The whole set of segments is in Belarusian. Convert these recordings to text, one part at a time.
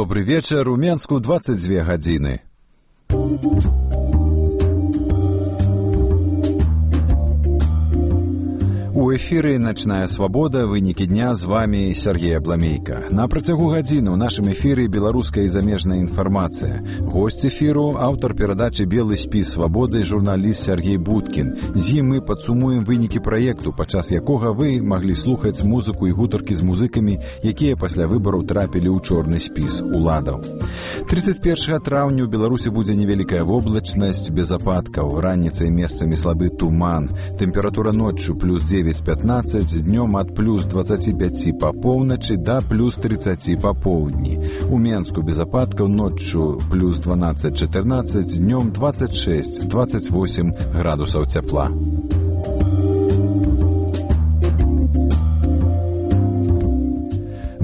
Добрый вечер. У Менску 22 гадзіны. У эфіры «Начная свабода», вынікі дня, з вами Сергей Абламейка. На працягу гадзіны ў нашым эфіры беларуская і замежная інфармацыя. Госць эфіру – аўтар перадачы «Белы спіс свабоды» журналіст Сергей Будкін. З ім мы падсумуем вынікі праекту, падчас якога вы маглі слухаць музыку і гутаркі з музыкамі, якія пасля выбараў трапілі ў чорны спіс уладаў. 31 траўня ў Беларусі будзе невялікая воблачнасць, без ападкаў, раніцай месцамі слабы туман, тэмпература ноччу плюс 9-15, днём ад плюс 25 па поўначы да плюс 30 па поўдні. У Менску без ападкаў, ноччу плюс 12-14, днём 26-28 градусаў цяпла.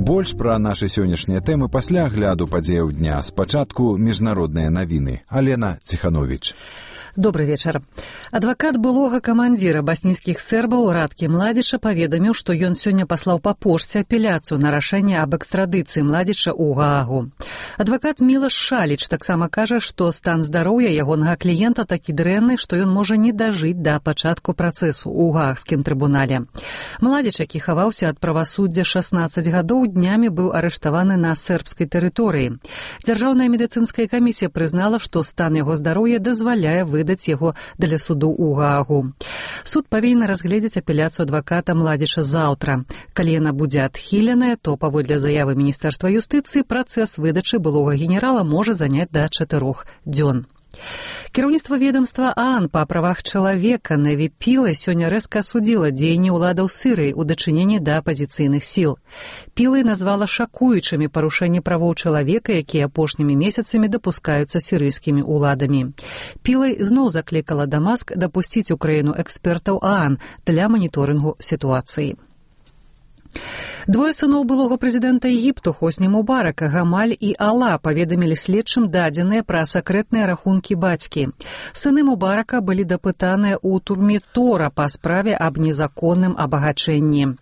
Больш пра нашы сённяшнія тэмы пасля агляду падзеяў дня. Спачатку міжнародныя навіны. Алена Ціхановіч. Добрый вечар. Адвакат былога камандзіра баснійскіх сербаў Радкі Младзіча паведаміў, што ён сёння паслаў па пошце апеляцыю на рашэнне аб экстрадыцыі Младзіча ў Гаагу. Адвакат Мілаш Шаліч таксама кажа, што стан здароўя ягонага кліента такі дрэнны, што ён можа не дажыць да пачатку працэсу ў Гаагскім трыбунале. Младзіч, які хаваўся ад правасуддзя 16 гадоў, днямі быў арыштаваны на сербскай тэрыторыі. Дзяржаўная медыцынская камісія прызнала, што стан яго здароўя дазваляе выдаць яго для суду ў Гаагу. Суд павінен разгледзець апеляцыю адваката Младзіча заўтра. Калі яна будзе адхіленая, то, паводле заявы Міністэрства юстыцыі, працэс выдачы былога генерала можа заняць да 4 дзён. Кіраўніцтва ведомства ААН па правах чалавека Неві Пілай сёння рэзка асудзіла дзеянні ўладаў Сірыі ў дачыненні да апазіцыйных сіл. Пілай назвала шакуючымі парушэнні правоў чалавека, якія апошнімі месяцамі дапускаюцца сірыйскімі ўладамі. Пілай зноў заклікала Дамаск дапусціць у краіну экспертаў ААН для маніторынгу сітуацыі. Двое сыноў былога прэзідэнта Егіпту Хосні Мубарака, Гамаль і Ала, паведамілі следчым дадзеныя пра сакрэтныя рахункі бацькі. Сыны Мубарака былі дапытаныя ў турме Тора па справе аб незаконным абагачэнні.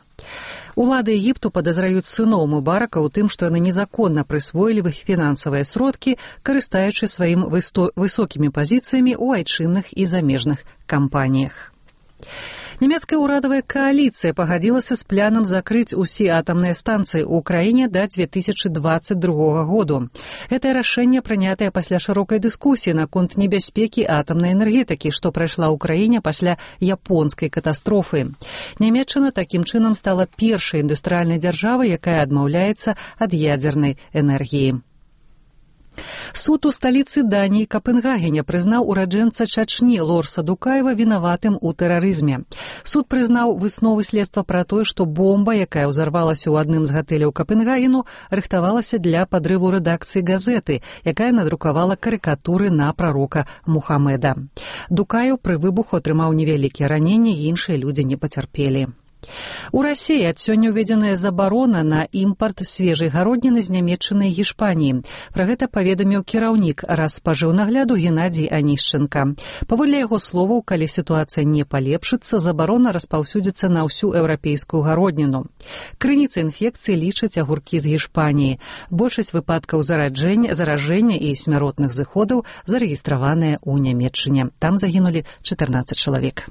Улады Егіпту падазраюць сыноў Мубарака ў тым, што яны незаконна прысвоілі іх фінансавыя сродкі, карыстаючы сваім высокімі пазіцыямі ў айчынных і замежных кампаніях. Нямецкая ўрадавая кааліцыя пагадзілася з планам закрыць усе атамныя станцыі ў краіне да 2022 году. Гэтае рашэнне прынятае пасля шырокай дыскусіі наконт небяспекі атамнай энергетыкі, што прайшла ў краіне пасля японскай катастрофы. Нямецчына такім чынам стала першай індустрыяльнай дзяржавай, якая адмаўляецца ад ядзернай энергіі. Суд у сталіцы Даніі Капенгагене прызнаў ураджэнца Чачні Лорса Дукаева вінаватым у тэрарызме. Суд прызнаў высновы следства пра тое, што бомба, якая ўзарвалася ў адным з гатэляў Капенгагену, рыхтавалася для падрыву рэдакцыі газеты, якая надрукавала карыкатуры на прарока Мухамеда. Дукаев пры выбуху атрымаў невялікія раненні, іншыя людзі не пацярпелі. У Расіі ад сёння ўведзеная забарона на імпарт свежай гародніны з Нямецчыны і Гішпаніі. Пра гэта паведаміў кіраўнік Распажыўнагляду Геннадзій Анішченка. Паводле яго словаў, калі сітуацыя не палепшыцца, забарона распаўсюдзіцца на ўсю еўрапейскую гародніну. Крыніцай інфекцыі лічаць агуркі з Гішпаніі. Большасць выпадкаў заражэння і смяротных зыходаў зарэгістраваныя ў Нямецчыне. Там загінулі 14 чалавек.